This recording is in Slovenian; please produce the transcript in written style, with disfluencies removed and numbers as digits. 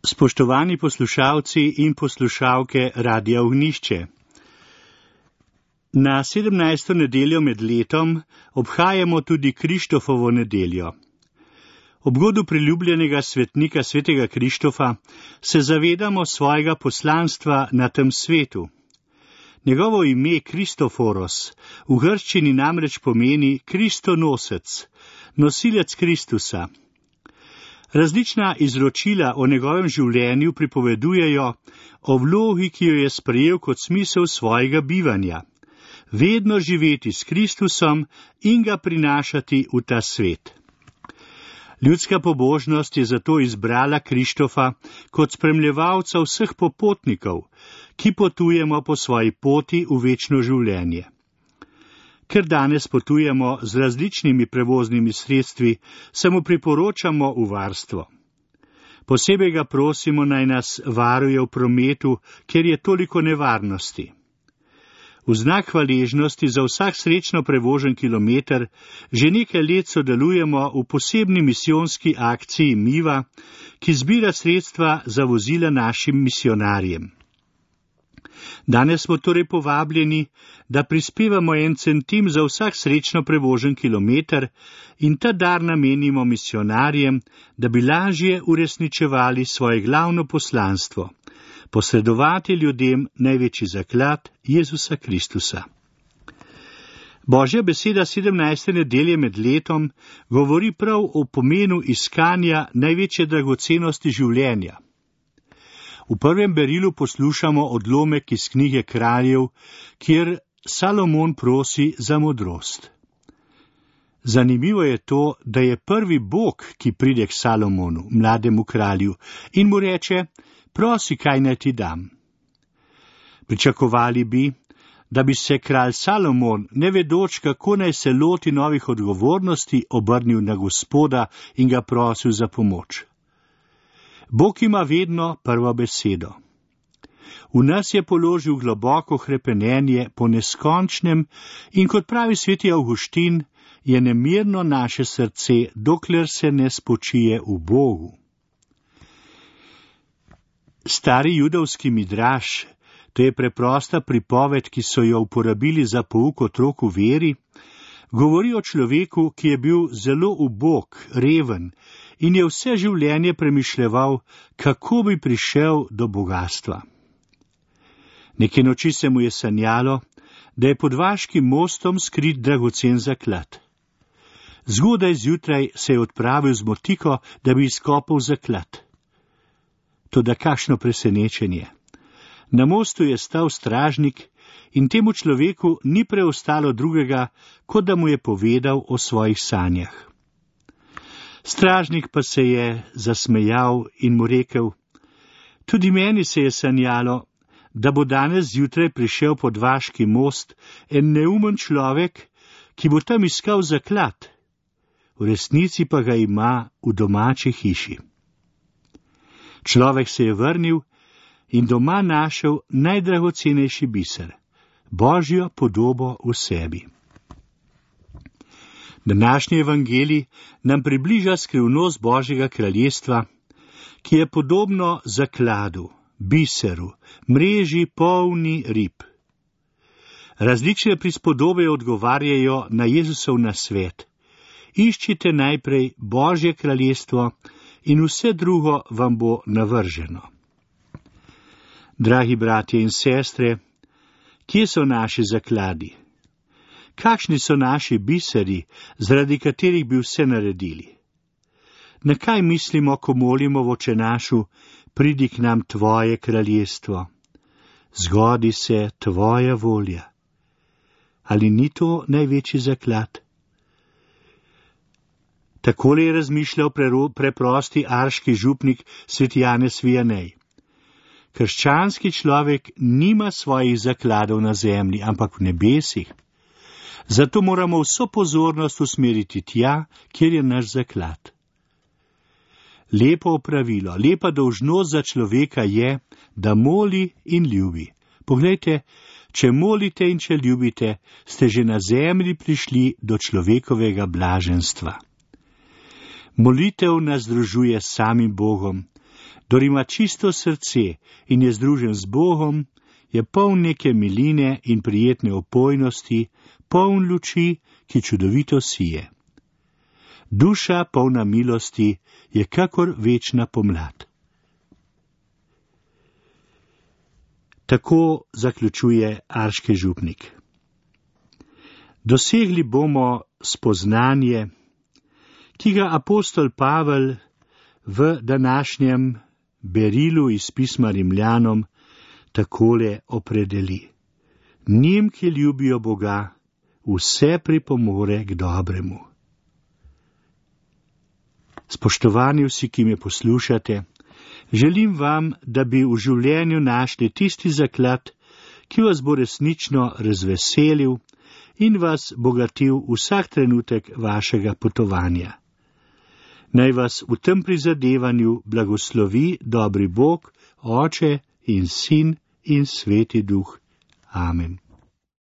Spoštovani poslušalci in poslušalke Radia Ognjišče. Na 17. nedeljo med letom obhajamo tudi Krištofovo nedeljo. Ob godu priljubljenega svetnika svetega Krištofa se zavedamo svojega poslanstva na tem svetu. Njegovo ime Kristoforos v grščini namreč pomeni Kristonosec, nosilec Kristusa. Različna izročila o njegovem življenju pripovedujejo o vlogi, ki jo je sprejel kot smisel svojega bivanja. Vedno živeti s Kristusom in ga prinašati v ta svet. Ljudska pobožnost je zato izbrala Krištofa kot spremljevalca vseh popotnikov, ki potujemo po svoji poti v večno življenje. Ker danes potujemo z različnimi prevoznimi sredstvi, se mu priporočamo v varstvo. Posebej ga prosimo, naj nas varuje v prometu, ker je toliko nevarnosti. V znak hvaležnosti za vsak srečno prevožen kilometer že nekaj let sodelujemo v posebni misijonski akciji Miva, ki zbira sredstva za vozila našim misionarjem. Danes smo torej povabljeni, da prispevamo 1 centim za vsak srečno prevožen kilometer in ta dar namenimo misionarjem, da bi lažje uresničevali svoje glavno poslanstvo, posredovati ljudem največji zaklad Jezusa Kristusa. Božja beseda 17. nedelje med letom govori prav o pomenu iskanja največje dragocenosti življenja. V prvem berilu poslušamo odlomek iz knjige Kraljev, kjer Salomon prosi za modrost. Zanimivo je to, da je prvi Bog, ki pride k Salomonu, mlademu kralju, in mu reče: prosi, kaj naj ti dam. Pričakovali bi, da bi se kralj Salomon, ne vedoč, kako naj se loti novih odgovornosti, obrnil na Gospoda in ga prosil za pomoč. Bog ima vedno prvo besedo. V nas je položil globoko hrepenenje po neskončnem in kot pravi sveti Avguštin, je nemirno naše srce, dokler se ne spočije v Bogu. Stari judovski midraš, to je preprosta pripoved, ki so jo uporabili za pouk otrok v veri, govori o človeku, ki je bil zelo ubog, reven in je vse življenje premišljeval, kako bi prišel do bogastva. Neke noči se mu je sanjalo, da je pod vaškim mostom skrit dragocen zaklad. Zgodaj zjutraj se je odpravil z motiko, da bi izkopal zaklad. Toda kakšno presenečenje. Na mostu je stal stražnik in temu človeku ni preostalo drugega, kot da mu je povedal o svojih sanjah. Stražnik pa se je zasmejal in mu rekel: tudi meni se je sanjalo, da bo danes zjutraj prišel pod vaški most en neumen človek, ki bo tam iskal zaklad. V resnici pa ga ima v domači hiši. Človek se je vrnil in doma našel najdragocenejši biser, Božjo podobo v sebi. Današnji evangelij nam približa skrivnost Božjega kraljestva, ki je podobno zakladu, biseru, mreži polni rib. Različne prispodobe odgovarjajo na Jezusov nasvet: iščite najprej Božje kraljestvo in vse drugo vam bo navrženo. Dragi bratje in sestre, kje so naši zakladi? Kakšni so naši biseri, zaradi katerih bi vse naredili? Na kaj mislimo, ko molimo v Očenašu: pridi k nam tvoje kraljestvo, zgodi se tvoja volja? Ali ni to največji zaklad? Takole je razmišljal preprosti arški župnik sveti Janez Vijanej. Krščanski človek nima svojih zakladov na zemlji, ampak v nebesih. Zato moramo vso pozornost usmeriti tja, kjer je naš zaklad. Lepo opravilo, lepa dolžnost za človeka je, da moli in ljubi. Poglejte, če molite in če ljubite, ste že na zemlji prišli do človekovega blaženstva. Molitev nas združuje s samim Bogom Kdor ima čisto srce in je združen z Bogom, je poln neke miline in prijetne opojnosti, poln luči, ki čudovito sije. Duša polna milosti je kakor večna pomlad. Tako zaključuje Arški župnik. Dosegli bomo spoznanje, ki ga apostol Pavel v današnjem berilu iz pisma Rimljanom takole opredeli. Njim, ki ljubijo Boga, vse pripomore k dobremu. Spoštovani vsi, ki me poslušate, želim vam, da bi v življenju našli tisti zaklad, ki vas bo resnično razveselil in vas bogatil vsak trenutek vašega potovanja. Naj vas v tem prizadevanju blagoslovi dobri Bog, Oče in Sin in Sveti Duh. Amen.